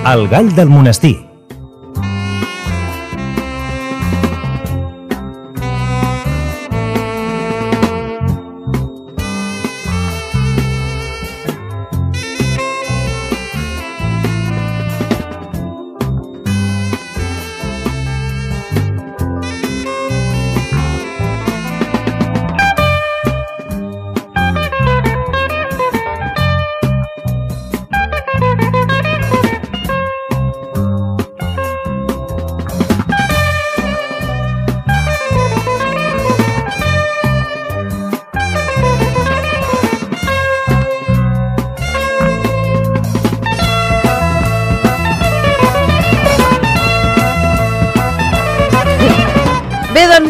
El gall del monestir.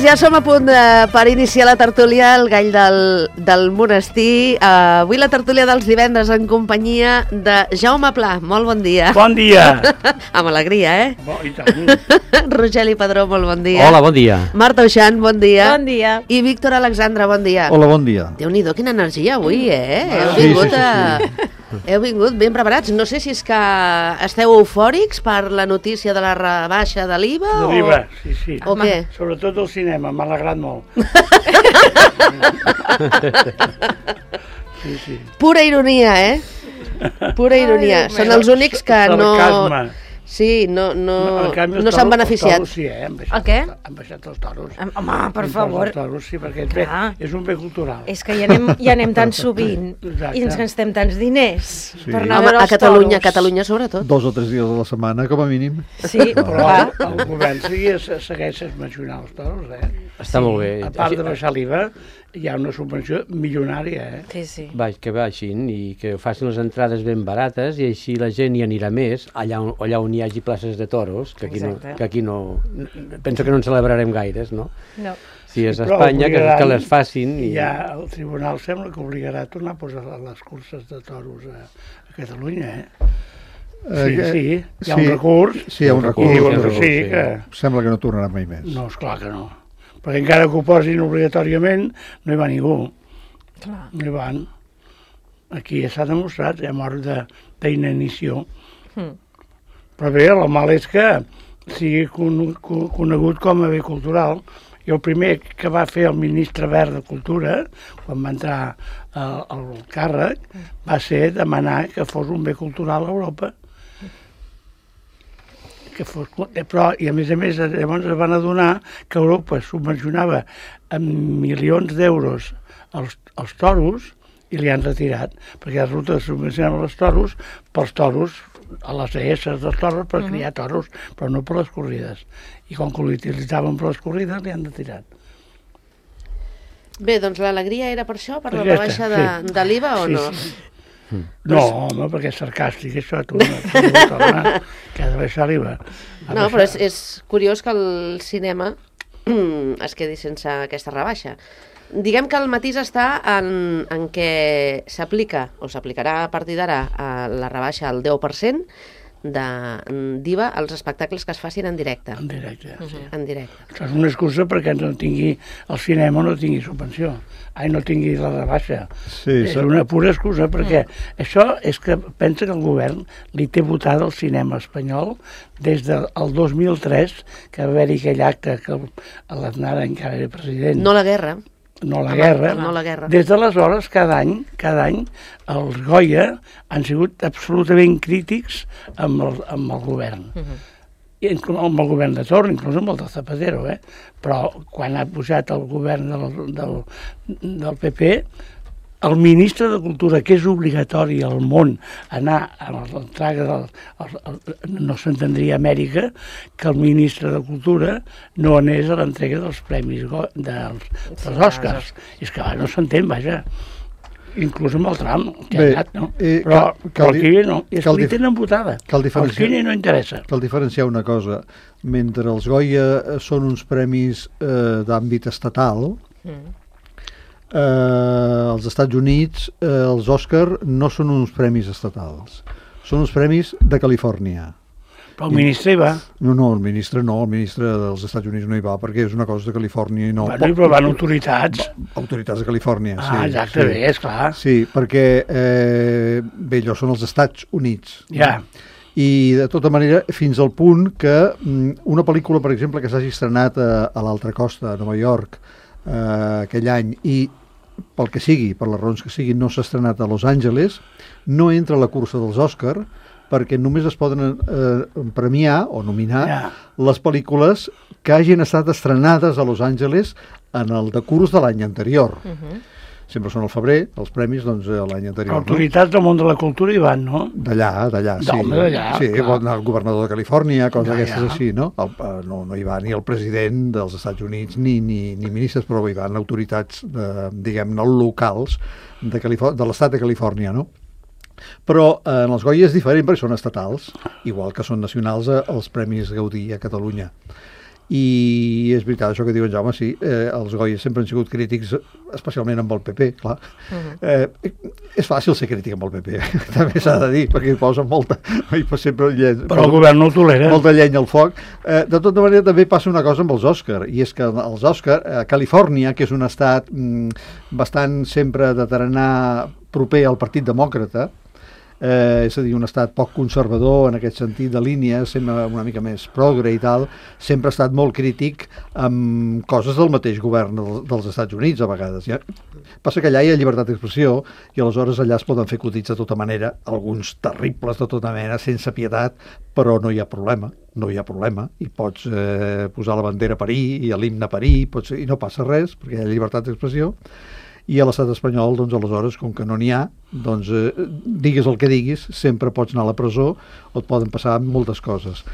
Ja som a punt per iniciar la tertúlia, el gall del monestir. Avui la tertúlia dels divendres en companyia de Jaume Pla. Molt bon dia. Bon dia. Amb alegria, I tant. Rogeli Padró, molt bon dia. Hola, bon dia. Marta Uixant, bon dia. Bon dia. I Víctor Alexandre, bon dia. Hola, bon dia. Déu-n'hi-do, quina energia avui, Heu vingut ben preparats. No sé si és que esteu eufòrics per la notícia de la rebaixa de l'IVA De l'IVA, sí. O què? Sobretot el cinema, m'ha alegrat molt. Sí. Pura ironia, Pura ironia. Són els únics que no... Sarcasme. Sí, no s'han beneficiat. Els toros sí, El què? Han baixat els toros. Home, per favor. Els toros, sí, perquè és un bé cultural. És que hi anem tan sovint i ens gastem tants diners per anar a veure els toros. A Catalunya sobretot. 2 o 3 dies a la setmana, com a mínim. Sí, però el govern segueix mencionant els toros, Està molt bé. A part de baixar l'IVA, hi ha una subvenció milionària, Sí. Que baixin i que facin les entrades ben barates i així la gent hi anirà més allà on hi hagi places de toros, que aquí no penso que no en celebrarem gaires, no? No. Si és a Espanya, que les facin. I ja el tribunal sembla que obligarà a tornar a posar les curses de toros a Catalunya, Sí, hi ha un recurs. Sí, hi ha un recurs. I diuen que sí, que... Sembla que no tornarà mai més. No, esclar que no. Perquè encara que ho posin obligatòriament, no hi va ningú. Clar. No hi van. Aquí ja s'ha demostrat, hi ha mort d'inanició. Però bé, el mal és que sigui conegut com a bé cultural. I el primer que va fer el ministre Wert de Cultura, quan va entrar al càrrec, va ser demanar que fos un bé cultural a Europa. Però, i a més, llavors es van adonar que Europa subvencionava amb milions d'euros els toros i li han retirat, perquè resulta que subvencionaven els toros pels toros, a les ES dels toros per criar toros, però no per les corrides. I com que l'utilitzaven per les corrides, li han retirat. Bé, doncs l'alegria era per això, per la rebaixa de l'IVA o no? Sí. No, home, perquè és sarcàstic, això, tu no tornar, que ha de baixar l'IVA. No, però és curiós que el cinema es quedi sense aquesta rebaixa. Diguem que el matís està en què s'aplica, o s'aplicarà a partir d'ara, la rebaixa al 10% d'IVA als espectacles que es facin en directe. En directe, sí. En directe. Això és una excusa perquè no tingui el cinema, no tingui subvenció. No tingui la rebaixa. Sí, és una pura excusa, perquè això és que pensa que el govern li té votat el cinema espanyol des del 2003, que va haver-hi aquell acte que l'Aznar encara era president. No la guerra. No la guerra. Des d'aleshores, cada any, els Goya han sigut absolutament crítics amb el govern. I amb el govern de torn, inclús amb el de Zapatero, Però quan ha pujat el govern del PP, el ministre de Cultura, que és obligatori al món anar a l'entrega no s'entendria a Amèrica que el ministre de Cultura no anés a l'entrega dels premis dels Oscars. És que no s'entén, vaja. Inclús amb el Trump, que ha anat, no? Però el Kine no. És que li tenen votada. El Kine no interessa. Cal diferenciar una cosa. Mentre els Goya són uns premis d'àmbit estatal, als Estats Units els Òscar no són uns premis estatals, són uns premis de Califòrnia. Però el ministre hi va. No, el ministre dels Estats Units no hi va, perquè és una cosa de Califòrnia i no... Bueno, però van autoritats. Autoritats de Califòrnia, sí. Exacte, bé, esclar. Sí, perquè, bé, allò són els Estats Units. Ja. I de tota manera, fins al punt que una pel·lícula, per exemple, que s'hagi estrenat a l'altra costa, a Nova York, aquell any, i pel que sigui, per les raons que siguin, no s'ha estrenat a Los Angeles, no entra a la cursa dels Òscar, perquè només es poden premiar o nominar les pel·lícules que hagin estat estrenades a Los Angeles en el decurs de l'any anterior. Sempre són al febrer, els premis, doncs, l'any anterior. Autoritats del món de la cultura hi van, no? D'allà, sí. Sí, el governador de Califòrnia, coses d'aquestes així, no? No hi va ni el president dels Estats Units ni ministres, però hi van autoritats, diguem-ne, locals de l'estat de Califòrnia, no? Però en els Goya és diferent perquè són estatals, igual que són nacionals els Premis Gaudí a Catalunya. I és veritat, això que diu en Jaume, sí, els Goya sempre han sigut crítics, especialment amb el PP, clar. És fàcil ser crític amb el PP, també s'ha de dir, perquè hi posen molta... Però el govern no ho tolera. Molta llenya al foc. De tota manera, també passa una cosa amb els Òscar, i és que els Òscar, a Califòrnia, que és un estat bastant sempre de tarannà proper al Partit Demòcrata, és a dir, un estat poc conservador en aquest sentit de línia, sempre una mica més progre i tal, sempre ha estat molt crític amb coses del mateix govern dels Estats Units a vegades. Passa que allà hi ha llibertat d'expressió i aleshores allà es poden fer acudits de tota manera, alguns terribles de tota mena, sense pietat, però no hi ha problema, i pots posar la bandera a parir i l'himne a parir, i no passa res, perquè hi ha llibertat d'expressió. I a l'estat espanyol, doncs, aleshores, com que no n'hi ha, doncs, digues el que diguis, sempre pots anar a la presó o et poden passar moltes coses.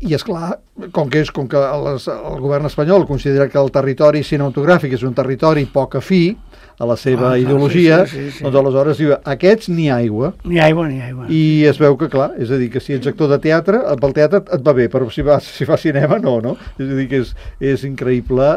I, esclar, com que el govern espanyol considera que el territori cinematogràfic és un territori poc afí a la seva ideologia, doncs aleshores diu, aquests ni aigua. Ni aigua. I es veu que, clar, és a dir, que si ets actor de teatre, pel teatre et va bé, però si fa cinema, no? És a dir, que és increïble.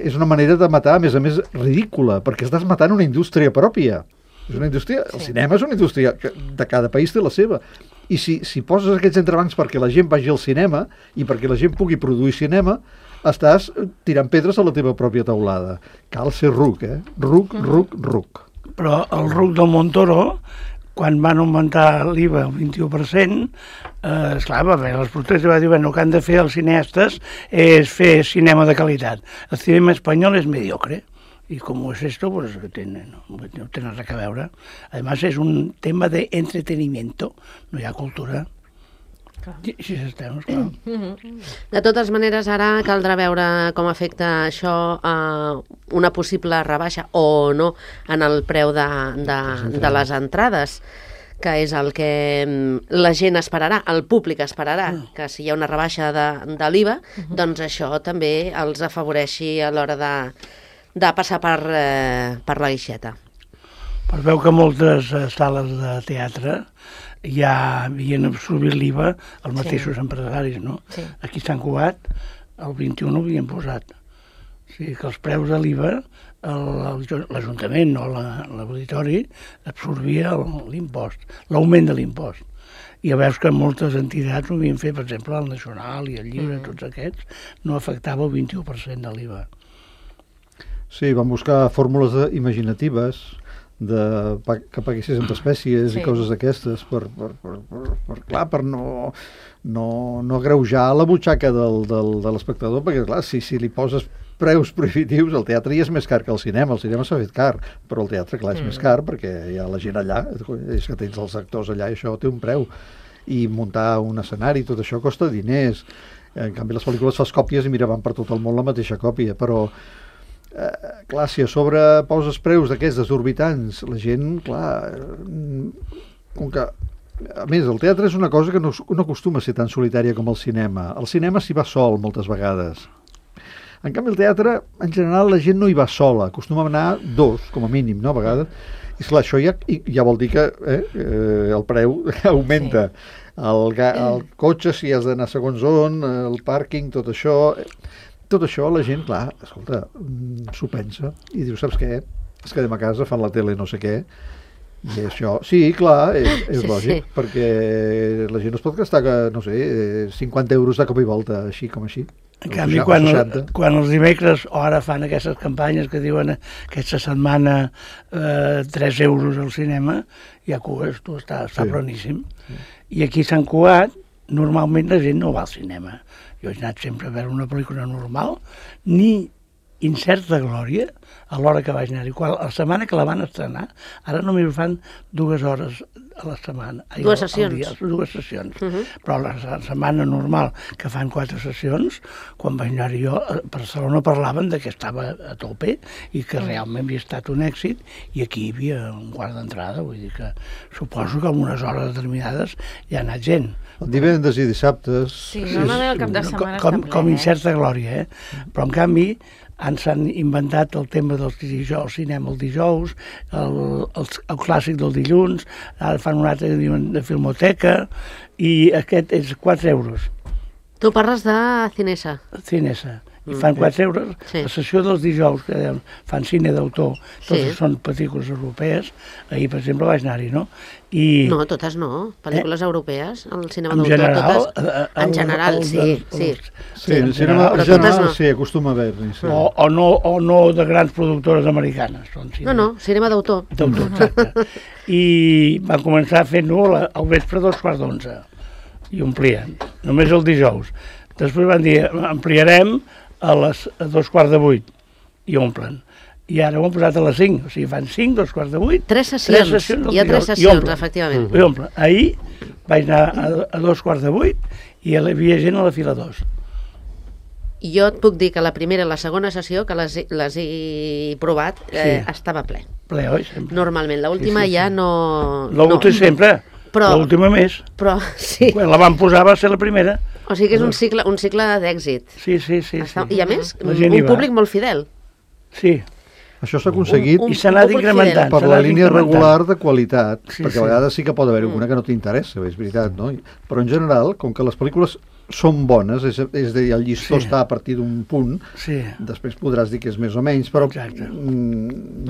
És una manera de matar, a més, ridícula, perquè estàs matant una indústria pròpia. És una indústria, el cinema és una indústria que de cada país té la seva. I si poses aquests entrebancs perquè la gent vagi al cinema i perquè la gent pugui produir cinema, estàs tirant pedres a la teva pròpia teulada. Cal ser ruc, ruc. Però el ruc del Montoro, quan van augmentar l'IVA al 21%, esclar, va haver les protestes i va dir, bueno, el que han de fer els cineastes és fer cinema de qualitat. El cinema espanyol és mediocre. Y como es esto, pues no tiene res que veure. Además, es un tema de entretenimiento, no hi ha cultura. Sí, estem, clar. De totes maneres, ara caldrà veure com afecta això a una possible rebaixa o no en el preu de les entrades, que és el que la gent esperarà, el públic esperarà, que si hi ha una rebaixa de l'IVA, doncs això també els afavoreixi a l'hora de passar per la guixeta. Es veu que moltes sales de teatre ja havien absorbit l'IVA els mateixos empresaris, no? Sí. Aquí a Sant Cugat el 21 ho havien posat. O sigui que els preus de l'IVA l'Ajuntament o l'auditori absorbia l'impost, l'augment de l'impost. I veus que moltes entitats ho havien fet, per exemple, el Nacional i el Llibre, tots aquests, no afectava el 21% de l'IVA. Sí, van buscar fórmules imaginatives que paguessis entre espècies i coses d'aquestes per no agreujar la butxaca de l'espectador, perquè clar, si li poses preus prohibitius, el teatre ja és més car que el cinema s'ha fet car, però el teatre clar és més car perquè hi ha la gent allà, és que tens els actors allà i això té un preu, i muntar un escenari, tot això costa diners. En canvi les pel·lícules fas còpies i mira, van per tot el món la mateixa còpia, però clar, si a sobre poses preus d'aquests desorbitants, la gent, clar, com que a més, el teatre és una cosa que no acostuma a ser tan solitària com el cinema. El cinema s'hi va sol moltes vegades. En canvi, el teatre, en general, la gent no hi va sola, acostuma a anar dos, com a mínim, no, a vegades. I esclar, això ja vol dir que el preu augenta. El cotxe, si has d'anar segons on, el pàrquing, tot això la gent, clar, escolta, s'ho pensa i diu, saps què? Es quedem a casa, fan la tele no sé què, i això, sí, clar, és lògic, perquè la gent es pot gastar, no sé, 50 euros de cop i volta, així com així. En canvi, quan els dimecres o ara fan aquestes campanyes que diuen aquesta setmana 3 euros al cinema, hi ha cues, està planíssim. I aquí a Sant Cugat, normalment la gent no va al cinema. Jo he anat sempre a veure una pel·lícula normal, ni Incerta Glòria, a l'hora que vaig anar-hi. La setmana que la van estrenar, ara només fan 2 hores a la setmana. 2 sessions. 2 sessions. Però la setmana normal, que fan 4 sessions, quan vaig anar-hi jo, a Barcelona parlaven que estava a tope i que realment havia estat un èxit, i aquí hi havia un quart d'entrada, vull dir que suposo que en unes hores determinades hi ha anat gent. Divendres i dissabtes... Sí, normalment el cap de setmana està ple. Com Incerta Glòria, Però en canvi s'han inventat el tema del dijous, cinema el dijous, el clàssic del dilluns, ara fan un altre que diuen de filmoteca, i aquest és 4 euros. Tu parles de Cinesa. Cinesa. I fan 4 euros. La sessió dels dijous, que fan cine d'autor, totes són pel·lícules europees. Ahir, per exemple, vaig anar-hi, no? No, totes no. Pel·lícules europees, el cinema d'autor, totes. En general, sí. En general, sí, acostuma a haver-hi. O no de grans productores americanes. No, cinema d'autor. D'autor, exacte. I van començar fent-ho al vespre 11:15. I omplien, només el dijous. Després van dir, ampliarem a 7:15 i omplen. I ara ho han posat a les 5, o sigui, fan 5, 7:15... 3 sessions, hi ha 3 sessions, efectivament. I omplen. Ahir vaig anar a 7:15 i hi havia gent a la fila 2. Jo et puc dir que la primera i la segona sessió, que les he provat, estava ple. Ple, oi? Sempre. Normalment. L'última ja no... L'última sempre. L'última més. Però, sí. Quan la van posar va ser la primera. O sigui que és un cicle d'èxit. Sí. I a més, un públic molt fidel. Sí. Això s'ha aconseguit i s'ha anat incrementant per la línia regular de qualitat, perquè a vegades sí que pot haver alguna que no t'interessa, és veritat, no? Però en general, com que les pel·lícules són bones, és a dir, el llistó està a partir d'un punt, després podràs dir que és més o menys, però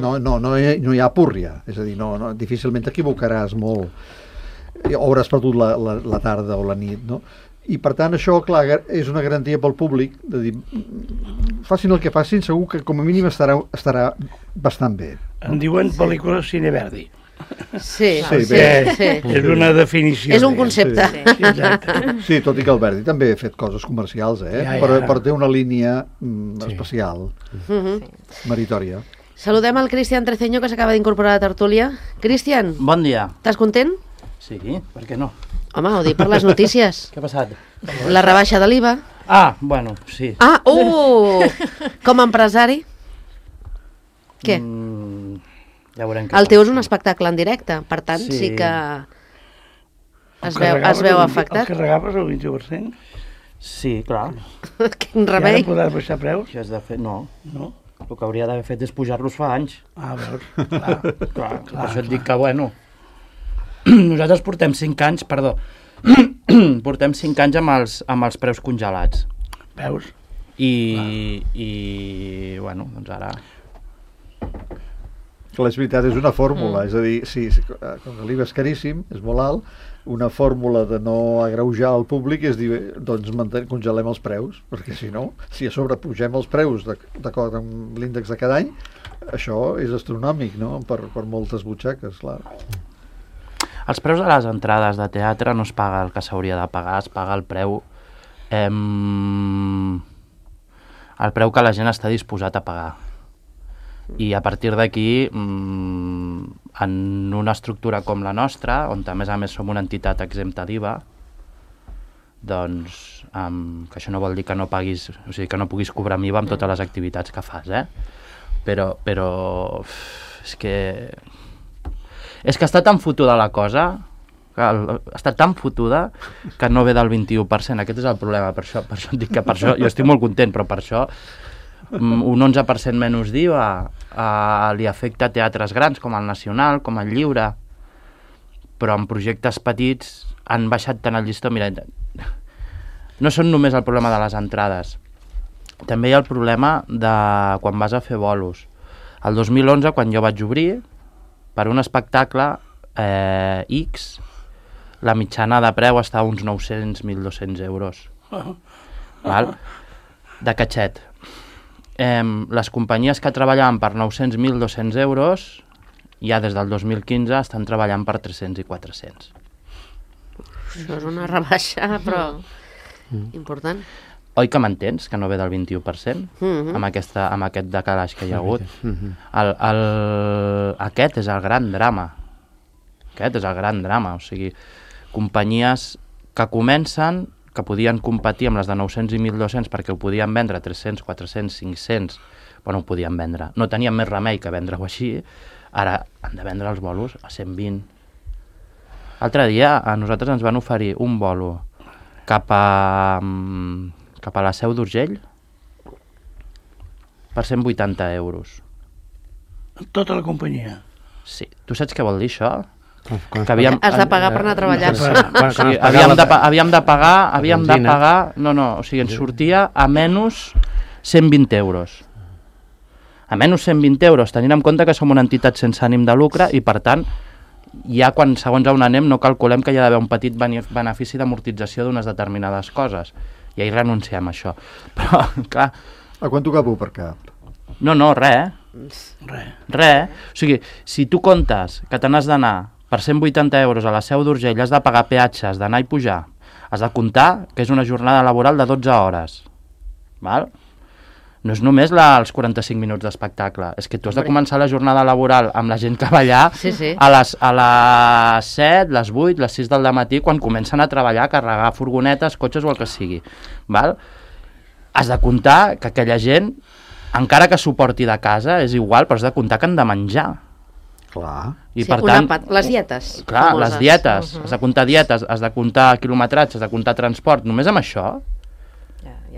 no hi ha púrria, és a dir, difícilment t'equivocaràs molt, o hauràs perdut la tarda o la nit, no? I per tant això, clar, és una garantia pel públic de dir, facin el que facin, segur que com a mínim estarà bastant bé. En diuen pel·lícula Cine Verdi. Sí. És una definició. És un concepte. Sí, tot i que el Verdi també ha fet coses comercials, però té una línia especial, meritòria. Saludem el Cristian Treceño, que s'acaba d'incorporar a la tertúlia. Cristian. Bon dia. Estàs content? Sí, per què no? Home, ho dic per les notícies. Què ha passat? La rebaixa de l'IVA. Bueno, sí. Com a empresari? Què? Ja veurem què el teu és un espectacle en directe, per tant sí que es veu afectat. El carregaves el 21%? Sí, clar. Quin remei. I ara podràs baixar preus? Què has de fer? No. El que hauria d'haver fet és pujar-los fa anys. Veus. Clar. Per això et dic que, bueno... Nosaltres portem 5 anys, portem 5 anys amb els preus congelats. Veus? I bueno, doncs ara... Clar, és veritat, és una fórmula, és a dir, com que l'IVA és caríssim, és molt alt, una fórmula de no agreujar el públic és dir, doncs congelem els preus, perquè si no, si a sobre pugem els preus d'acord amb l'índex de cada any, això és astronòmic, no?, per moltes butxaques, clar. Els preus de les entrades de teatre no es paga el que s'hauria de pagar, es paga el preu que la gent està disposat a pagar. I a partir d'aquí, en una estructura com la nostra, on a més som una entitat exempta d'IVA, doncs, que això no vol dir que no paguis, o sigui, que no puguis cobrar amb IVA amb totes les activitats que fas, però és que està tan fotuda la cosa, està tan fotuda que no ve del 21%, aquest és el problema, per això et dic que per això, jo estic molt content, però per això un 11% menys d'IVA li afecta a teatres grans com el Nacional, com el Lliure, però en projectes petits han baixat tant el llistó. Mira, no són només el problema de les entrades, també hi ha el problema de quan vas a fer bolos. El 2011, quan jo vaig obrir, per un espectacle X, la mitjana de preu està a uns 900-1.200 euros. Val? De catxet. Les companyies que treballaven per 900, 1.200 euros, ja des del 2015 estan treballant per 300 i 400. Això és una rebaixa, però important. Oi que m'entens, que no ve del 21%? Amb aquest decalaix que hi ha hagut. Aquest és el gran drama. O sigui, companyies que comencen, que podien competir amb les de 900 i 1.200 perquè ho podien vendre a 300, 400, 500, bueno, ho podien vendre. No tenien més remei que vendre-ho així, ara han de vendre els bolos a 120. L'altre dia a nosaltres ens van oferir un bolo cap a la Seu d'Urgell per 180 euros. Tota la companyia? Sí. Tu saps què vol dir això? Has de pagar per anar a treballar. Havíem de pagar... No, o sigui, ens sortia a menys 120 euros. A menys 120 euros, tenint en compte que som una entitat sense ànim de lucre i, per tant, ja quan segons on anem no calculem que hi ha d'haver un petit benefici d'amortització d'unes determinades coses. I ahir renunciem a això. Però, clar... A quant tocava per cap? No, res. O sigui, si tu comptes que te n'has d'anar per 180 euros a la Seu d'Urgell, has de pagar peatges, d'anar i pujar, has de comptar que és una jornada laboral de 12 hores. Val? No és només els 45 minuts d'espectacle, és que tu has de començar la jornada laboral amb la gent que va allà a les 7, les 8, les 6 del matí, quan comencen a treballar, a carregar furgonetes, cotxes o el que sigui. Val? Has de comptar que aquella gent, encara que suporti de casa, és igual, però has de comptar que han de menjar. Clar. I per tant, les dietes. Clar, les dietes. Has de comptar dietes, has de comptar quilometratge, has de comptar transport. Només amb això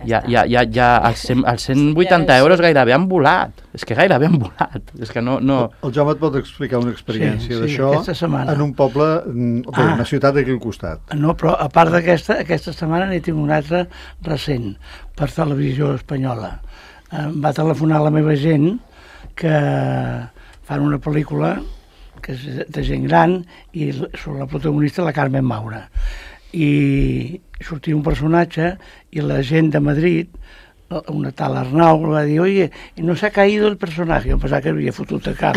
els 180 euros gairebé han volat. És que gairebé han volat. És que no... El Jaume et pot explicar una experiència d'això en un poble, una ciutat d'aquí al costat. No, però a part aquesta setmana n'he tingut una altra recent per televisió espanyola. Va telefonar la meva gent que fan una pel·lícula que és de gent gran i sobre la protagonista la Carmen Maura. I sortia un personatge i la gent de Madrid, una tal Arnau, va dir, oye, no s'ha caído el personaje. Jo pensava que havia fotut a cap.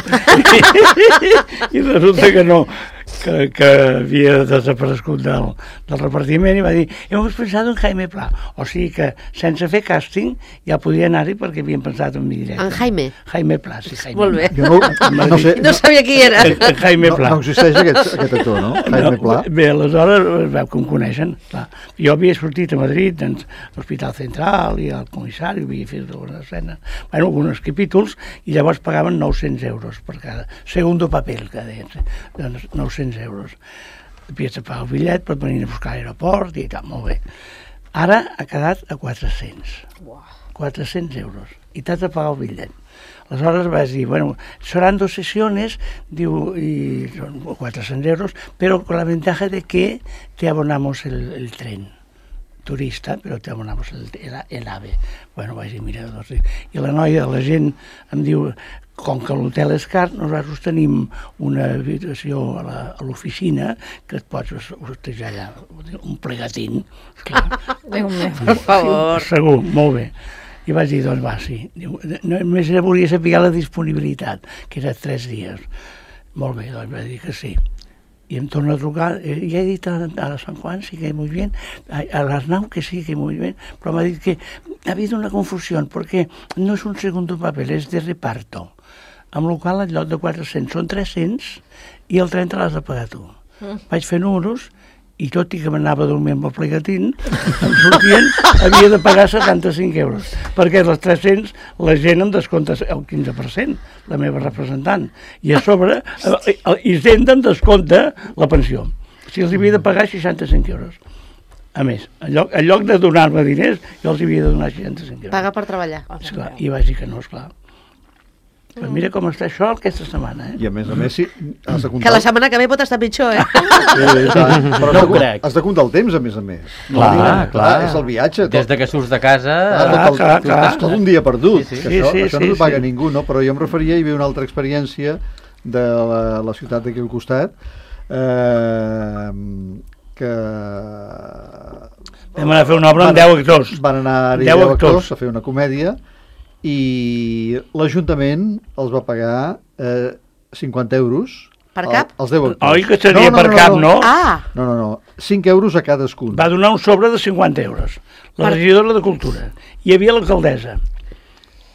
I resulta que no, que havia desaparegut del repartiment i va dir, hemos pensado en Jaime Pla. O sigui que sense fer càsting ja podia anar-hi perquè havien pensat en mi directe. En Jaime? Jaime Pla, sí, Jaime. Molt bé. No sabia qui era. Jaime Pla. No existeix aquest actor, no? Jaime Pla. Bé, aleshores veu que em coneixen. Clar. Jo havia sortit a Madrid, a l'Hospital Central i al comissari, havia fet algunes escenes, bueno, alguns capítols, i llavors pagaven 900 euros per cada segundo paper, que deien, doncs 900 euros. Havies de pagar el bitllet per venir a buscar a l'aeroport i tal, molt bé. Ara ha quedat a 400. 400 euros. I t'has de pagar el bitllet. Aleshores vas dir, bueno, seran 2 sesiones, diu, y son 400 euros, pero con la ventaja de que te abonamos el tren. Turista, però te abonamos el AVE. Bueno, vaig dir, mira, doncs... I la noia, la gent, em diu, com que l'hotel és car, nosaltres tenim una habitació a l'oficina que et pots hostejar allà, un plegatín, esclar. Déu meu, per favor. Segur, molt bé. I vaig dir, doncs va, sí. Només volia saber la disponibilitat, que era 3 dies. Molt bé, doncs vaig dir que sí. Y em torna a trucar, ya he dit a San Juan, sí que muy bien, a l'Arnau que sí que muy bien, però m'ha dit que ha habido una confusión, porque no es un segundo papel, es de reparto, amb la qual en lloc de 400 són 300 i el 30 l'has de pagar tu. Vaig fer números i tot i que m'anava a dormir amb el plegatín, em sortien, havia de pagar 75 euros, perquè dels 300 la gent em descompta el 15%, la meva representant, i a sobre Hisenda em descompta la pensió. O sigui, els havia de pagar 65 euros. A més, en lloc de donar-me diners, jo els havia de donar 65 euros. Paga per treballar. Esclar, i vaig dir que no, esclar. Però mira com està això aquesta setmana, I a més, sí, has de comptar... Que la setmana que ve pot estar pitjor, Però no ho crec. Has de comptar el temps, a més. Clar. És el viatge. Des de que surts de casa... Clar. Tot un dia perdut. Això no t'ho paga ningú, no? Però jo em referia, hi havia una altra experiència de la ciutat d'aquí al costat, que... Vam anar a fer una obra amb 10 actors. Van anar-hi 10 actors a fer una comèdia i l'Ajuntament els va pagar 50 euros. Per cap? Els 10 actors. Oi, que seria per cap, no? Ah! No. 5 euros a cadascun. Va donar un sobre de 50 euros. La regidora de Cultura. Hi havia l'alcaldessa.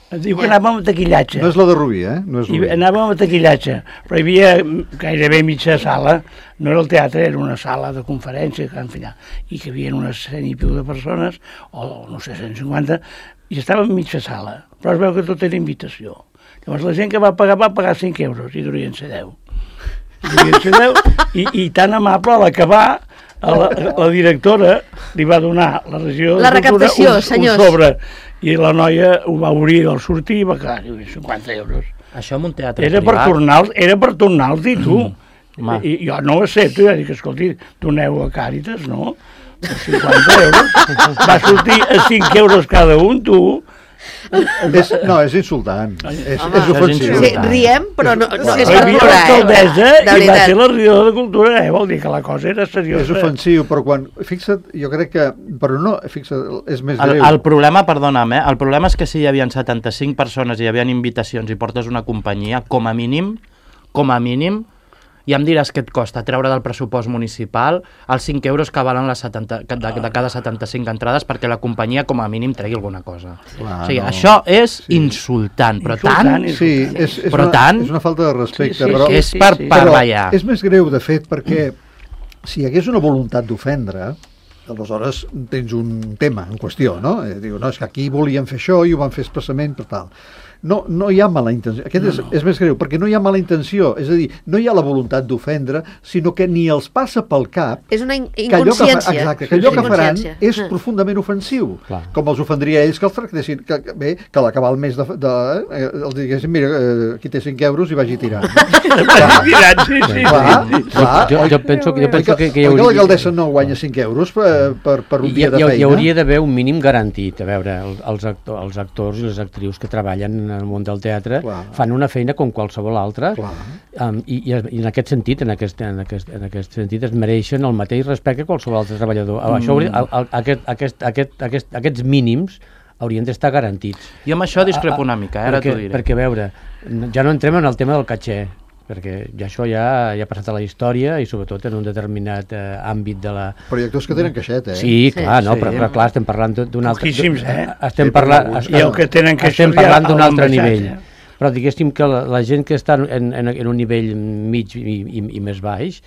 Es diu que anàvem a taquillatge. No és la de Rubí, No és Rubí. Anàvem a taquillatge, però hi havia gairebé mitja sala, no era el teatre, era una sala de conferència, i que hi havia unes 100 i piu de persones, o no sé, 150, i estava en mitja sala, però es veu que tot era invitació. Llavors la gent que va pagar 5 euros, i durien ser 10. I tan amable, a l'acabar, la directora li va donar la regió de Cultura un sobre, i la noia ho va obrir al sortir i va quedar 50 euros. Això en un teatre era privat. Era per tornar-los, i tu. I jo no ho accepto, ja dic, escolti, doneu a Càritas, no? 50 euros. Va sortir a 5 euros cada un, tu. És insultant. És ofensiu. Sí, riem, però no és per plorar. L'alcaldessa i va ser la regidora de Cultura, vol dir que la cosa era seriosa. És ofensiu, però quan... Fixa't, jo crec que... Però no, fixa't, és més greu. El problema, perdona'm, el problema és que si hi havia 75 persones i hi havia invitacions i portes una companyia, com a mínim, ja em diràs què et costa treure del pressupost municipal els 5 euros que valen de cada 75 entrades perquè la companyia com a mínim tregui alguna cosa. Clar, o sigui, això és insultant, però tant... Sí, és una falta de respecte, però... És per ballar. És més greu, de fet, perquè si hi hagués una voluntat d'ofendre, aleshores tens un tema en qüestió, no? Diu, no, és que aquí volien fer això i ho van fer expressament per tal. No hi ha mala intenció. Aquest és més greu, perquè no hi ha mala intenció. És a dir, no hi ha la voluntat d'ofendre, sinó que ni els passa pel cap... És una inconsciència. Exacte, que allò que faran és profundament ofensiu. Clar. Com els ofendria ells que els tractessin... Que a l'acabar el mes els diguessin, mira, aquí té 5 euros i vagi tirant. Jo penso que hi hauria... l'alcaldessa no guanya 5 euros per un dia de feina? Hi hauria d'haver un mínim garantit. A veure, els actors i les actrius que treballen en el món del teatre fan una feina com qualsevol altra i en aquest sentit es mereixen el mateix respecte que qualsevol altre treballador. Aquests mínims haurien d'estar garantits. Jo amb això discrepo una mica, ara t'ho diré. Perquè, a veure, ja no entrem en el tema del catxer, perquè això ja ha passat a la història i sobretot en un determinat àmbit de la... Però hi ha actors que tenen caixet, Sí, clar, però clar, estem parlant d'un altre... Poquíssims, Estem parlant d'un altre nivell. Però diguéssim que la gent que està en un nivell mig i més baix,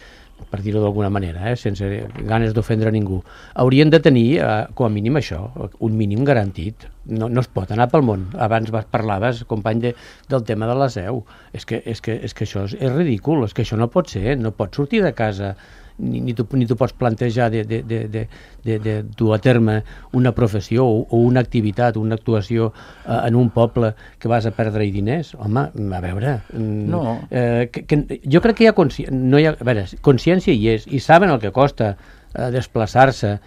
per dir-ho d'alguna manera, sense ganes d'ofendre ningú, haurien de tenir, com a mínim això, un mínim garantit. No es pot anar pel món. Abans parlaves, company, del tema de la seu. És que això és ridícul, és que això no pot ser, no pots sortir de casa ni tu pots plantejar de dur a terme una professió o una activitat, una actuació en un poble que vas a perdre-hi diners. Home, a veure... No. Jo crec que hi ha a veure, consciència hi és, i saben el que costa desplaçar-se,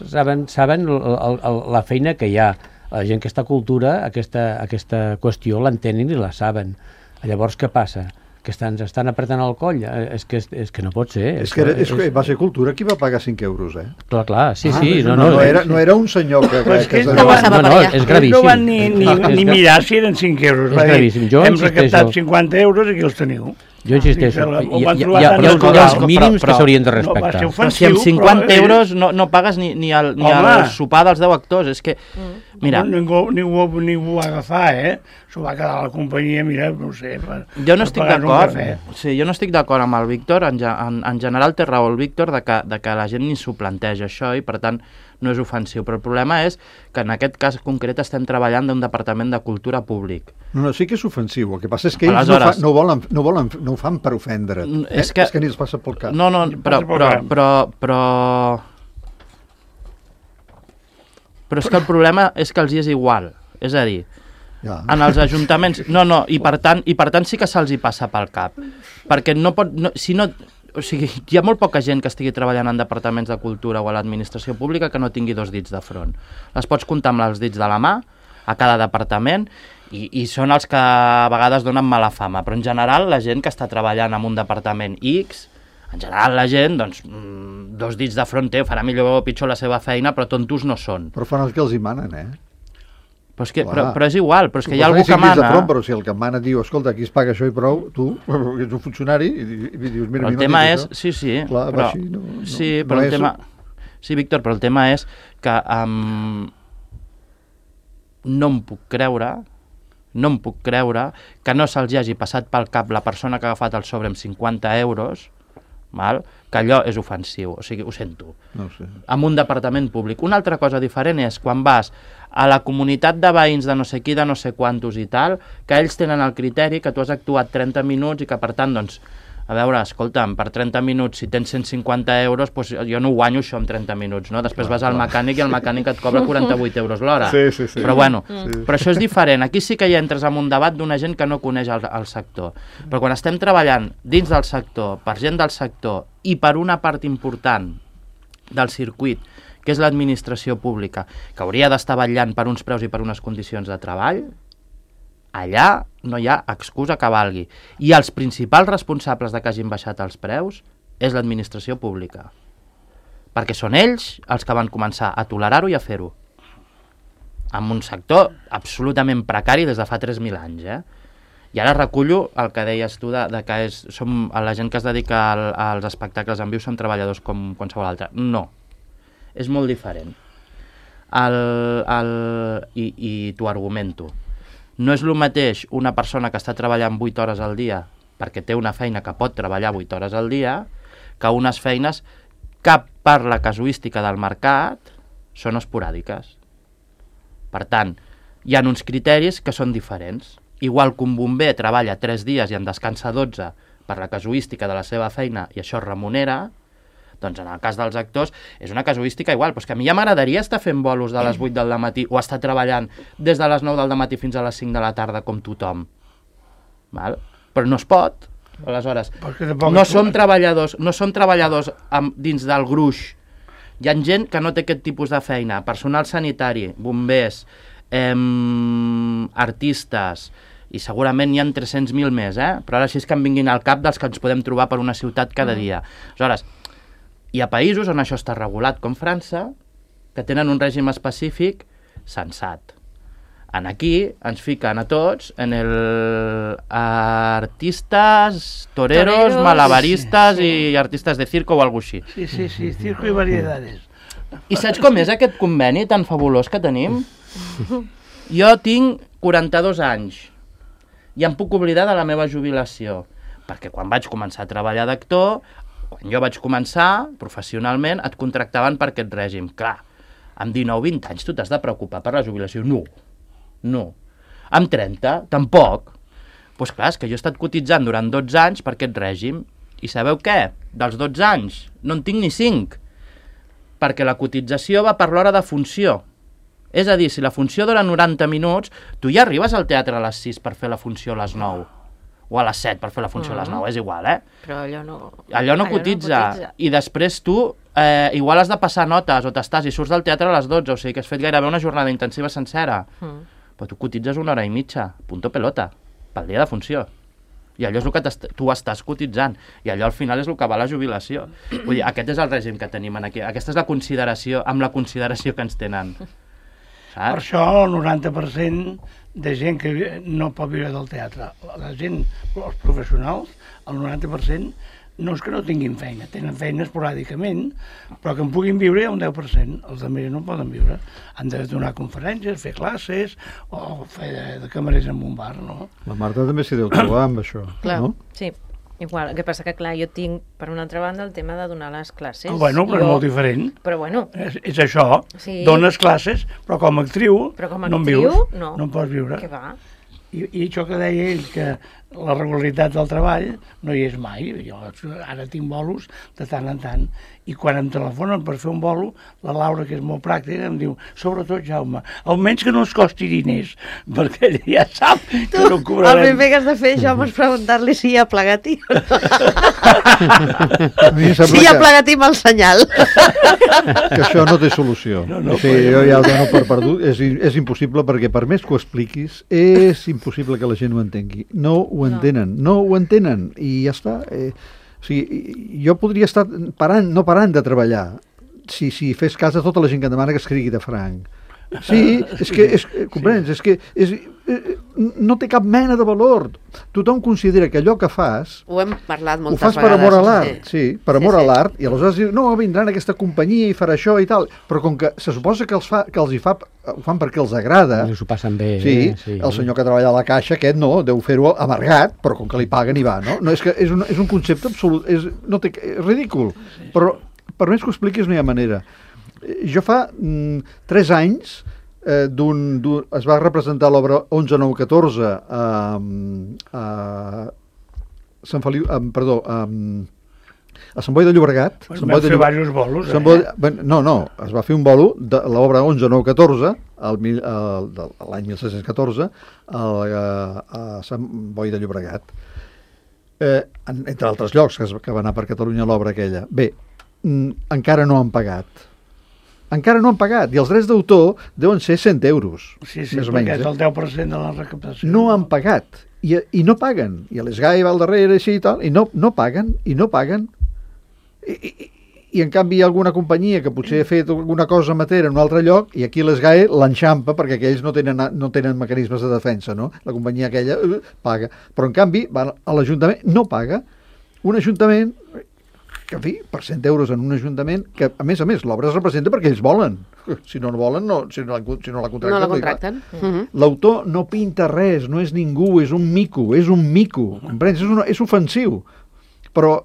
saben la feina que hi ha. La gent que està a cultura, aquesta qüestió l'entenen i la saben. Llavors, què passa? Que ens estan apretant el coll, és que no pot ser. És que va ser Cultura qui va pagar 5 euros, Clar, sí. No era un senyor que... És gravíssim. No van ni mirar si eren 5 euros. És gravíssim. Hem recaptat 50 euros i aquí els teniu. Jo insisteixo, hi ha els mínims que s'haurien de respectar. Però si amb 50 euros no pagues ni el sopar dels 10 actors, és que... Mira... Ningú ho va agafar, S'ho va quedar a la companyia, mira, no sé... Jo no estic d'acord. Sí, jo no estic d'acord amb el Víctor, en general té raó el Víctor de que la gent ni s'ho planteja això i per tant no és ofensiu, però el problema és que en aquest cas concret estem treballant d'un departament de cultura públic. No, sí que és ofensiu, el que passa és que ells no ho fan per ofendre, és que ni els passa pel cap. No, però és que el problema és que els hi és igual, és a dir, en els ajuntaments, i per tant sí que se'ls hi passa pel cap, perquè o sigui, hi ha molt poca gent que estigui treballant en departaments de cultura o a l'administració pública que no tingui 2 dits de front. Les pots comptar amb els dits de la mà a cada departament i són els que a vegades donen mala fama, però en general la gent que està treballant en un departament X, En general la gent, doncs, 2 dits de front té, farà millor o pitjor la seva feina, però tontos no són. Però fan el que els hi manen, Però és igual, però és que hi ha algú que mana. Però si el que mana diu, escolta, aquí es paga això i prou, tu, que ets un funcionari, i dius, mira, el tema és... Sí, clar, però... Sí, però el tema... Sí, Víctor, però el tema és que no em puc creure que no se'ls hagi passat pel cap la persona que ha agafat el sobre amb 50 euros, que allò és ofensiu, o sigui, ho sento. No sé. En un departament públic. Una altra cosa diferent és quan vas a la comunitat de veïns de no sé qui, de no sé quantos i tal, que ells tenen el criteri que tu has actuat 30 minuts i que, per tant, doncs, a veure, escolta'm, per 30 minuts, si tens 150 euros, doncs jo no guanyo això en 30 minuts, no? Després vas al mecànic i el mecànic et cobra 48 euros l'hora. Sí. Però bueno, però això és diferent. Aquí sí que hi entres en un debat d'una gent que no coneix el sector. Però quan estem treballant dins del sector, per gent del sector i per una part important del circuit, que és l'administració pública, que hauria d'estar vetllant per uns preus i per unes condicions de treball, allà no hi ha excusa que valgui. I els principals responsables de que hagin baixat els preus és l'administració pública. Perquè són ells els que van començar a tolerar-ho i a fer-ho. En un sector absolutament precari des de fa 3.000 anys. I ara recullo el que deies tu de que som la gent que es dedica als espectacles en viu són treballadors com qualsevol altre. No. És molt diferent. I t'ho argumento. No és el mateix una persona que està treballant 8 hores al dia perquè té una feina que pot treballar 8 hores al dia que unes feines que per la casuística del mercat són esporàdiques. Per tant, hi ha uns criteris que són diferents. Igual que un bomber treballa 3 dies i en descansa 12 per la casuística de la seva feina i això es remunera, doncs en el cas dels actors és una casuística igual, però és que a mi ja m'agradaria estar fent bolos de les 8 del matí o estar treballant des de les 9 del matí fins a les 5 de la tarda com tothom. Però no es pot. Aleshores, no som treballadors dins del gruix. Hi ha gent que no té aquest tipus de feina, personal sanitari, bombers, artistes, i segurament n'hi ha 300.000 més, però ara sí és que em vinguin al cap dels que ens podem trobar per una ciutat cada dia. Aleshores, hi ha països on això està regulat, com França, que tenen un règim específic sensat. Aquí ens fiquen a tots en el artistes, toreros, malabaristes i artistes de circo o alguna cosa així. Sí, circo i variedades. I saps com és aquest conveni tan fabulós que tenim? Jo tinc 42 anys i em puc oblidar de la meva jubilació, perquè quan vaig començar a treballar d'actor, quan jo vaig començar professionalment, et contractaven per aquest règim. Clar, amb 19-20 anys tu t'has de preocupar per la jubilació? No. Amb 30, tampoc. Doncs clar, és que jo he estat cotitzant durant 12 anys per aquest règim. I sabeu què? Dels 12 anys no en tinc ni 5. Perquè la cotització va per l'hora de funció. És a dir, si la funció dura 90 minuts, tu ja arribes al teatre a les 6 per fer la funció a les 9. O a les 7 per fer la funció a les 9, és igual, Però allò no cotitza. I després tu igual has de passar notes o t'estàs i surts del teatre a les 12, o sigui que has fet gairebé una jornada intensiva sencera. Però tu cotitzes 1 hora i mitja, punto pelota, pel dia de funció. I allò és el que tu estàs cotitzant. I allò al final és el que va a la jubilació. Vull dir, aquest és el règim que tenim aquí. Aquesta és la consideració, amb la consideració que ens tenen. Saps? Per això el 90% de gent que no pot viure del teatre, la gent, els professionals, el 90% no és que no tinguin feina, tenen feina esporàdicament, però que en puguin viure hi ha un 10%, els altres no poden viure. Han de donar conferències, fer classes o fer de camarers en un bar, no? La Marta també s'hi deu trobar amb això, clar, no? Sí, igual. El que passa que, clar, jo tinc, per una altra banda, el tema de donar les classes. Bueno, però és molt diferent. Però bueno. És això, sí. Dones classes, però com a actriu, no en vius, no en pots viure. Què va? I això que deia ell, que la regularitat del treball no hi és mai. Jo ara tinc bolos de tant en tant. I quan em telefonen per fer un bolo, la Laura, que és molt pràctica, em diu, sobretot, Jaume, almenys que no ens costi diners, perquè ella ja sap que no cobrarem. El primer que has de fer, Jaume, és preguntar-li si hi ha plegatí o no. Si hi ha plegatí amb el senyal. Que això no té solució. Jo ja ho dono per perdut. És impossible, perquè per més que ho expliquis, és impossible que la gent ho entengui. No ho entenen, i ja està. sigui, jo podria estar no parant de treballar si fes cas a tota la gent que em demana que escrigui de franc. Sí, comprens? És que no té cap mena de valor. Tothom considera que allò que fas... Ho hem parlat moltes vegades. Ho fas per amor a l'art, sí, per amor a l'art, i aleshores diu, no, vindran aquesta companyia i farà això i tal, però com que se suposa que ho fan perquè els agrada... S'ho passen bé. Sí, el senyor que treballa a la caixa, aquest no, deu fer-ho amargat, però com que li paguen i va, no? És que és un concepte absolut, és ridícul, però per més que ho expliquis no hi ha manera. Jo fa 3 anys es va representar l'obra 11-9-14 a Sant Boi de Llobregat. Van fer diversos bolos. No, es va fer un bolo de l'obra 11-9-14 l'any 1614 a Sant Boi de Llobregat. Entre altres llocs que va anar per Catalunya l'obra aquella. Bé, encara no han pagat. Encara no han pagat, i els drets d'autor deuen ser 100 euros. Sí, més o menys, és el 10% de la recaptació. No han pagat, i no paguen. I l'ESGAE va al darrere així i tal, i no paguen. I en canvi hi ha alguna companyia que potser ha fet alguna cosa amateur en un altre lloc, i aquí l'ESGAE l'enxampa perquè aquells no tenen mecanismes de defensa, no? La companyia aquella paga. Però en canvi, va a l'Ajuntament, no paga. Un Ajuntament... que, en fi, per 100 euros en un ajuntament, que, a més, l'obra es representa perquè ells volen. Si no volen, si no la contracten. No la contracten. L'autor no pinta res, no és ningú, és un mico, comprens? És ofensiu. Però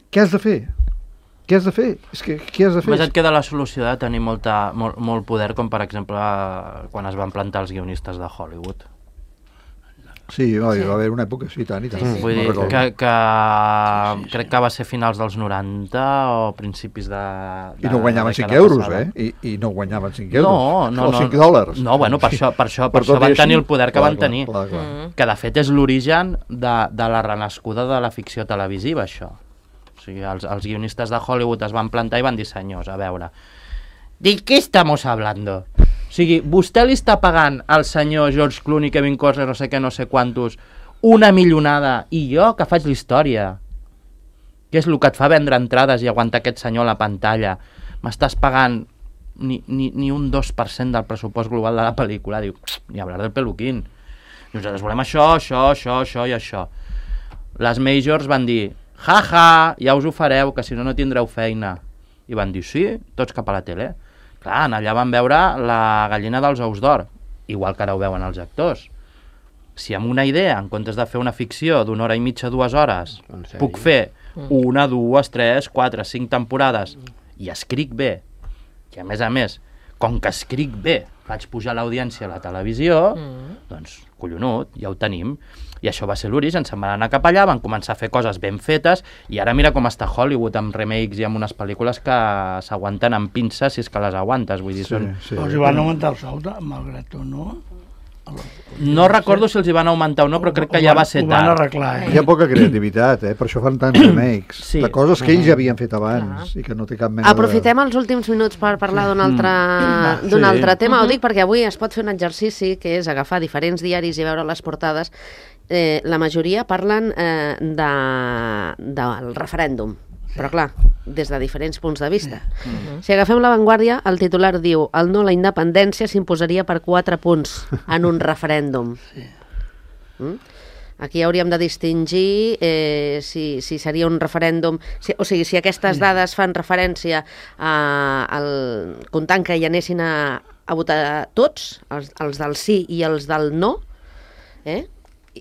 què has de fer? Què has de fer? Què has de fer? Només et queda la solució de tenir molt poder, com per exemple quan es van plantar els guionistes de Hollywood. Sí, va haver una època, sí, tant i tant. Vull dir que crec que va ser finals dels 90 o principis de... I no guanyaven 5 euros, I no guanyaven 5 euros. No, o 5 dòlars. No, bueno, per això van tenir el poder que van tenir. Que, de fet, és l'origen de la renascuda de la ficció televisiva, això. O sigui, els guionistes de Hollywood es van plantar i van dir, senyors, a veure, ¿de què estamos hablando? O sigui, vostè li està pagant al senyor George Clooney, Kevin Costner, no sé què, no sé quantos, una milionada, i jo que faig la història, que és el que et fa vendre entrades i aguantar aquest senyor a la pantalla, m'estàs pagant ni un 2% del pressupost global de la pel·lícula. Diu, ni hablar del peluquín. Nosaltres volem això i això. Les majors van dir, ja us ho fareu, que si no tindreu feina. I van dir, sí, tots cap a la tele. Clar, allà van veure la gallina dels ous d'or, igual que ara ho veuen els actors. Si amb una idea, en comptes de fer una ficció d'una hora i mitja, 2 hores, puc fer 1, 2, 3, 4, 5 temporades i escric bé, i a més, com que escric bé, faig pujar l'audiència a la televisió, doncs, collonut, ja ho tenim. I això va ser l'origen, se'n van anar cap allà, van començar a fer coses ben fetes, i ara mira com està Hollywood, amb remakes i amb unes pel·lícules que s'aguanten amb pinces, si és que les aguantes, vull dir, són... Però els hi van augmentar el sou, malgrat tot, no? No recordo si els hi van augmentar o no, però crec que ja va ser tard. Ho van arreglar, Hi ha poca creativitat, per això fan tants remakes, de coses que ells ja havien fet abans i que no té cap mena Aprofitem els últims minuts per parlar d'un altre tema. Ho dic perquè avui es pot fer un exercici que és agafar diferents diaris i veure les portades. La majoria parlen del referèndum, però clar, des de diferents punts de vista. Si agafem La Vanguardia, el titular diu: el no a la independència s'imposaria per 4 punts en un referèndum. Aquí hauríem de distingir si seria un referèndum, o sigui, si aquestes dades fan referència comptant que hi anessin a votar tots, els del sí i els del no,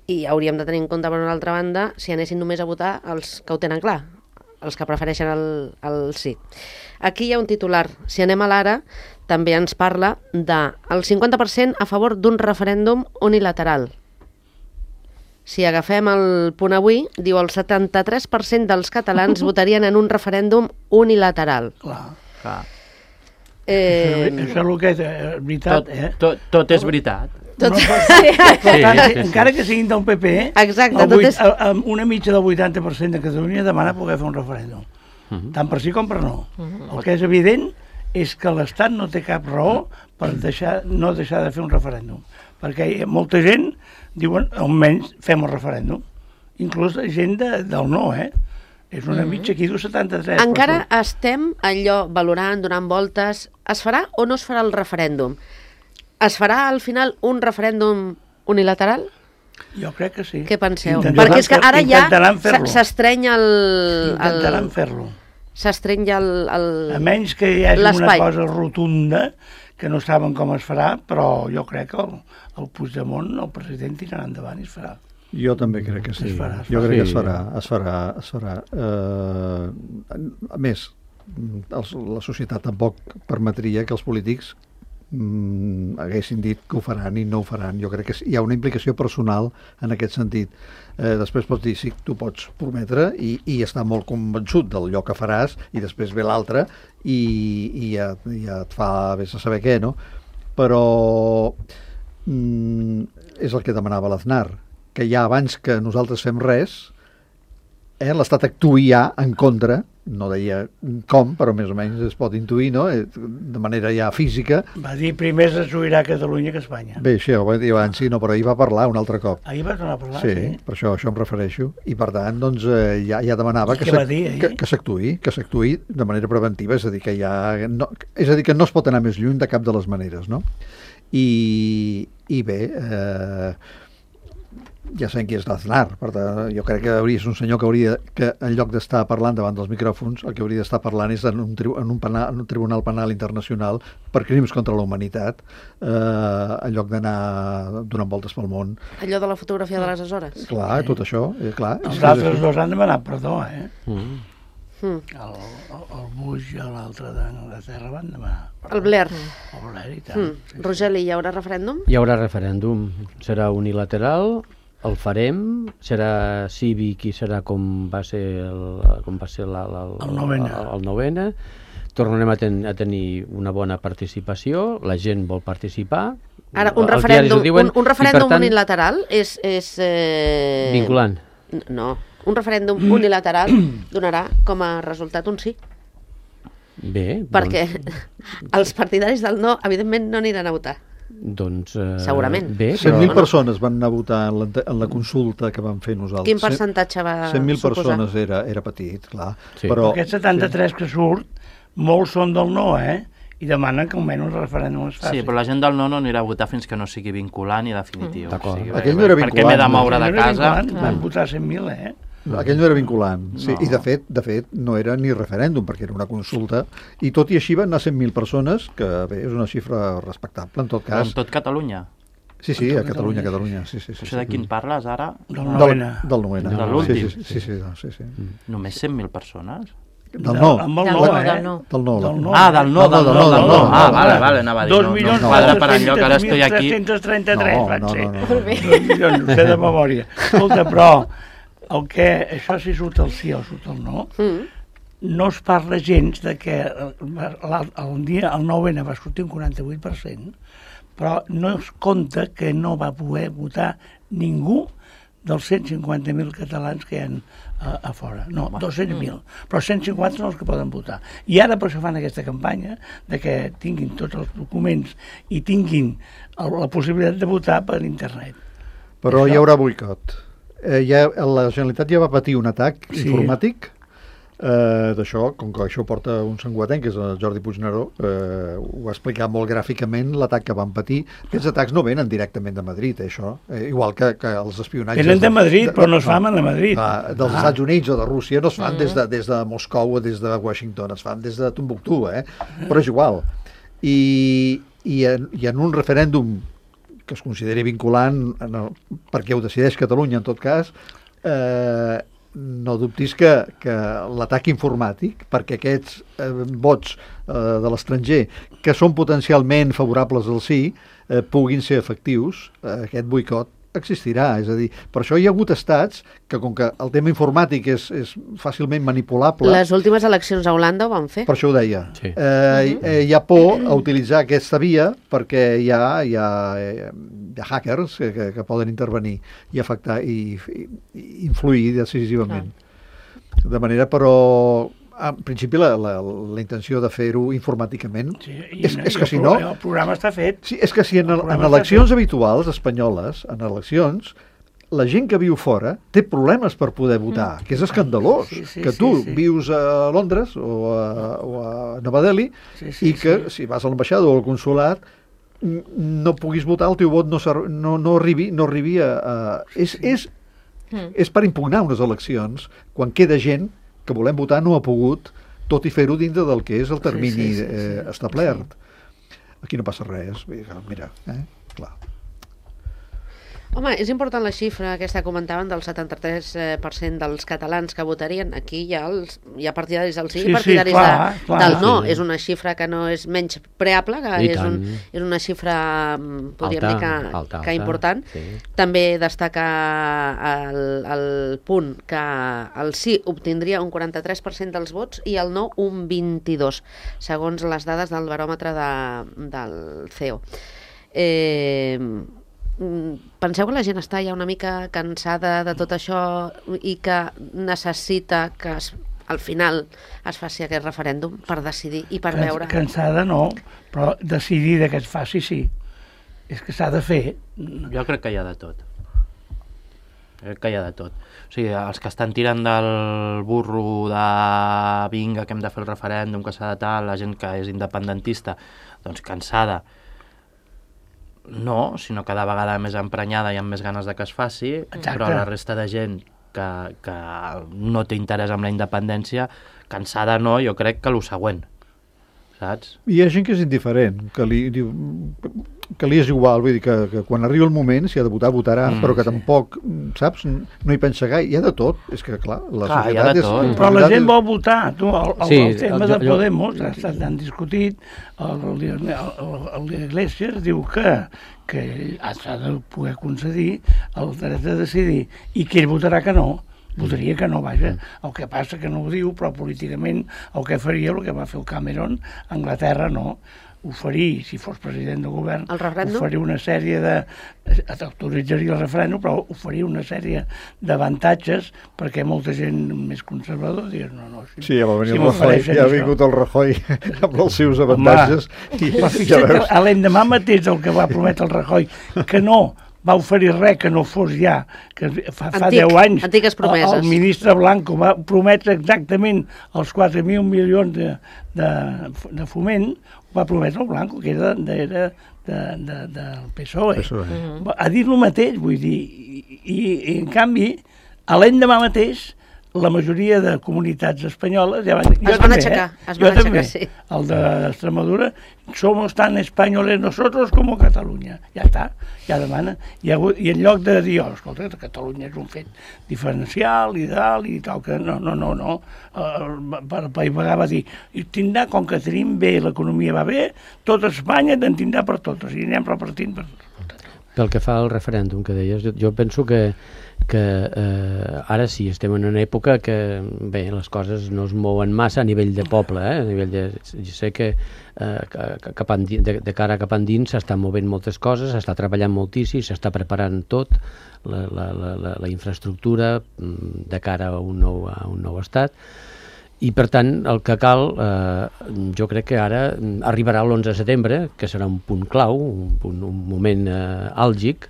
i hauríem de tenir en compte, per una altra banda, si anessin només a votar els que ho tenen clar, els que prefereixen el sí. Aquí hi ha un titular. Si anem a l'Ara, també ens parla del 50% a favor d'un referèndum unilateral. Si agafem el Punt Avui, diu el 73% dels catalans votarien en un referèndum unilateral. Clar. Això és el que és veritat, Tot és veritat. Encara que siguin del PP, una mitja del 80% de Catalunya demana poder fer un referèndum, tant per sí com per no. El que és evident és que l'Estat no té cap raó per no deixar de fer un referèndum, perquè molta gent diuen almenys fem el referèndum, inclús gent del no, És una mitja aquí, 73. Encara estem allò valorant, donant voltes. Es farà o no es farà el referèndum? Es farà al final un referèndum unilateral? Jo crec que sí. Què penseu? Perquè és que ara ja s'estreny Intentaran fer-lo. S'estreny ja a menys que hi hagi una cosa rotunda que no saben com es farà, però jo crec que el Puigdemont, el president, tirarà endavant i es farà. Jo també crec que sí. Jo crec que es farà. A més, la societat tampoc permetria que els polítics haguessin dit que ho faran i no ho faran. Jo crec que hi ha una implicació personal en aquest sentit. Després pots dir, sí, tu pots prometre i estar molt convençut d'allò que faràs i després ve l'altre i ja et fa vés a saber què, no? Però és el que demanava l'Aznar, que ja abans que nosaltres fem res, l'Estat actuï ja en contra, no deia com, però més o menys es pot intuir, no? De manera ja física. Va dir primer es destruirà Catalunya que Espanya. Bé, això ho va dir abans, sí, no, però ahir va parlar un altre cop. Ahir va tornar a parlar, sí. Per això em refereixo. I per tant, doncs, ja demanava que s'actuï de manera preventiva, és a dir, que no es pot anar més lluny de cap de les maneres, no? I bé, ja sabem qui és l'Aznar, per tant, jo crec que és un senyor que en lloc d'estar parlant davant dels micròfons, el que hauria d'estar parlant és en un tribunal penal internacional per crims contra la humanitat, en lloc d'anar donant voltes pel món. Allò de la fotografia de les Açores. Clar, tot això, clar. Els altres dos han demanat perdó, El Bush i l'altre d'Anglaterra van demanar perdó. El Blair. El Blair i tant. Rogeli, hi haurà referèndum? Hi haurà referèndum. Serà unilateral. El farem, serà cívic i serà com va ser el novena. Tornarem a tenir una bona participació, la gent vol participar. Ara, un referèndum unilateral és... Vinculant. No, un referèndum unilateral donarà com a resultat un sí. Bé. Perquè els partidaris del no, evidentment, no aniran a votar. Doncs, segurament. 100.000 persones van anar a votar en la consulta que vam fer nosaltres. Quin percentatge va 100.000 persones era petit, clar. Sí. Però aquest 73 que surt, molts són del no, i demanen que almenys un referèndum es faci. Sí, però la gent del no anirà a votar fins que no sigui vinculant i definitiu. D'acord. Aquell no era vinculant. Perquè m'he de moure de casa. Van votar 100.000, Aquell no era vinculant, sí, i de fet no era ni referèndum, perquè era una consulta, i tot i així van anar 100.000 persones, que bé, és una xifra respectable en tot cas. En tot Catalunya? Sí, a Catalunya, sí. Això de quin parles ara? Del novena. De l'últim? Sí. Només 100.000 persones? Del no. Del no. Ah, del no. Ah, vale, anava a dir. 2.000.000 quadra per enlloc, ara estoy aquí. 333 van ser. 2 milions, sé de memòria. Escolta, però això sí surt el sí o surt el no, no es parla gens de que el 9N va sortir un 48%, però no es compta que no va poder votar ningú dels 150.000 catalans que hi ha a fora. No, 200.000, però 150 són els que poden votar. I ara per això fan aquesta campanya de que tinguin tots els documents i tinguin la possibilitat de votar per internet. Però hi haurà boicot. La Generalitat ja va patir un atac informàtic d'això, com que això porta un sanguatenc, que és el Jordi Puigneró, ho va explicar molt gràficament l'atac que van patir. Aquests atacs no venen directament de Madrid, això, igual que els espionatges... Venen de Madrid, però no es fan a Madrid. Dels Estats Units o de Rússia no es fan des de Moscou o des de Washington, es fan des de Tombuctú, però és igual. I en un referèndum que es consideri vinculant, perquè ho decideix Catalunya en tot cas, no dubtis que l'atac informàtic, perquè aquests vots de l'estranger que són potencialment favorables al sí puguin ser efectius, aquest boicot existirà, és a dir, per això hi ha hagut estats que, com que el tema informàtic és fàcilment manipulable... Les últimes eleccions a Holanda ho van fer. Per això ho deia. Sí. Hi ha por a utilitzar aquesta via perquè hi ha hackers que poden intervenir i afectar i influir decisivament. De manera, però... En principi, la intenció de fer-ho informàticament és que si no... El programa està fet. Sí, és que si en eleccions habituals espanyoles, en eleccions, la gent que viu fora té problemes per poder votar, que és escandalós, que tu vius a Londres o a Nova Delhi i que si vas a l'ambaixada o al consulat no puguis votar, el teu vot no arribi a... És per impugnar unes eleccions quan queda gent que volem votar no ha pogut, tot i fer-ho dintre del que és el termini establert. Aquí no passa res, mira, clar. Home, és important la xifra aquesta que comentaven del 73% dels catalans que votarien. Aquí hi ha partidaris del sí i partidaris del no. És una xifra que no és menys preable, que és una xifra, podríem dir que important. També destaca el punt que el sí obtindria un 43% dels vots i el no un 22%, segons les dades del baròmetre del CEO. Penseu que la gent està ja una mica cansada de tot això i que necessita que al final es faci aquest referèndum per decidir i per veure... Cansada no, però decidir que es faci sí. És que s'ha de fer. Jo crec que hi ha de tot. O sigui, els que estan tirant del burro de vinga, que hem de fer el referèndum, que s'ha de tal, la gent que és independentista, doncs cansada, no, sinó cada vegada més emprenyada i amb més ganes de que es faci. Exacte. Però la resta de gent que no té interès en la independència, cansada no, jo crec que el següent, saps? Hi ha gent que és indiferent, que li és igual, vull dir que quan arriba el moment, si ha de votar, votarà, però que tampoc, saps, no hi pensa gaire. Hi ha de tot, és que clar, la societat és... Però la gent vol votar, el tema de Podemos s'han discutit, l'Iglesias diu que s'ha de poder concedir el dret de decidir, i que ell votarà que no. Votaria que no, vaja. El que passa que no ho diu, però políticament el que faria, el que va fer el Cameron, a Anglaterra no. Oferir, si fos president del govern, oferir una sèrie de... autoritzaria el referèndum, però oferir una sèrie d'avantatges perquè molta gent més conservadora diria no. Sí, ja va venir el Rajoy, ja ha vingut el Rajoy amb els seus avantatges. Però fixa't que l'endemà mateix el que va prometre el Rajoy, que no va oferir res que no fos ja, que fa 10 anys el ministre Blanco va prometre exactament els 4.000 milions de foment, va prometre el Blanco, que era del PSOE. Ha dit el mateix, vull dir, i en canvi, a l'endemà mateix, la majoria de comunitats espanyoles ja es van aixecar, sí. El d'Extremadura, somos tan españoles nosotros como Catalunya. Ja està, ja demana. I en lloc de dir, escolta, Catalunya és un fet diferencial i tal, i tal, que no. Per pagar va dir, tindrà, com que tenim bé, l'economia va bé, tot Espanya en tindrà per totes, i anem repartint per totes. Pel que fa al referèndum que deies, jo penso que ara sí, estem en una època que bé, les coses no es mouen massa a nivell de poble, a nivell de... Jo sé que de cara cap endins s'estan movent moltes coses, s'està treballant moltíssim, s'està preparant tot, la infraestructura de cara a un nou estat, i per tant el que cal, jo crec que ara arribarà l'11 de setembre, que serà un punt clau, un moment àlgic.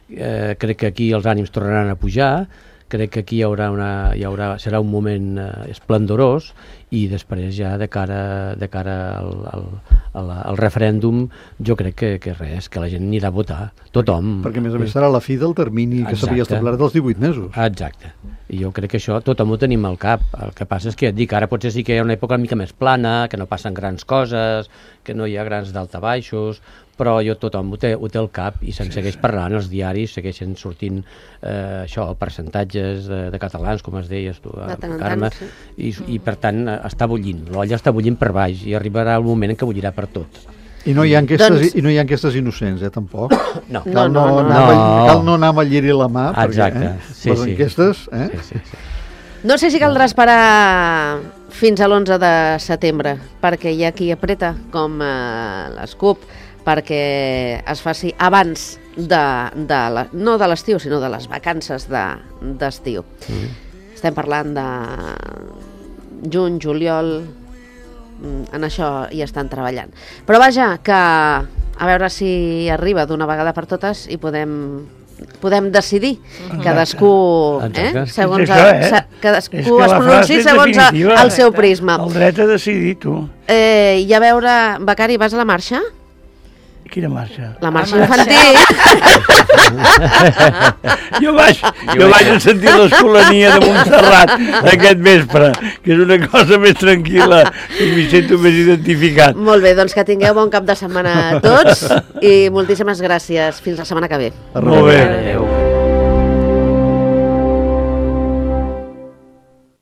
Crec que aquí els ànims tornaran a pujar, crec que aquí serà un moment esplendorós, i després ja de cara al referèndum jo crec que res, que la gent anirà a votar, tothom. Perquè a més serà la fi del termini que s'havia establert dels 18 mesos. Exacte. I jo crec que això tothom ho tenim al cap. El que passa és que et dic, ara potser sí que hi ha una època una mica més plana, que no passen grans coses, que no hi ha grans daltabaixos, però tothom ho té al cap i se'n segueix parlant, els diaris segueixen sortint percentatges de catalans, com es deies tu, Carme, i per tant està bullint, l'olla està bullint per baix i arribarà el moment en què bullirà per tot. I no hi ha enquestes innocents, innocents, tampoc? No. Cal no anar amb el lliri a la mà, perquè les enquestes... Sí. No sé si caldrà esperar fins a l'11 de setembre, perquè hi ha qui apreta, com l'SCUP, perquè es faci abans no de l'estiu, sinó de les vacances d'estiu. Estem parlant de juny, juliol, en això hi estan treballant. Però vaja, que a veure si arriba d'una vegada per totes i podem podem decidir. Cadascú, segons cadascú es pronunciï segons el seu prisma. El dret a decidir, tu. I a veure, Becari, vas a la marxa? Quina marxa? La marxa infantil. Jo vaig a sentir l'Escolania de Montserrat aquest vespre, que és una cosa més tranquil·la i m'hi sento més identificat. Molt bé, doncs que tingueu bon cap de setmana a tots i moltíssimes gràcies. Fins la setmana que ve. Molt bé. Adéu.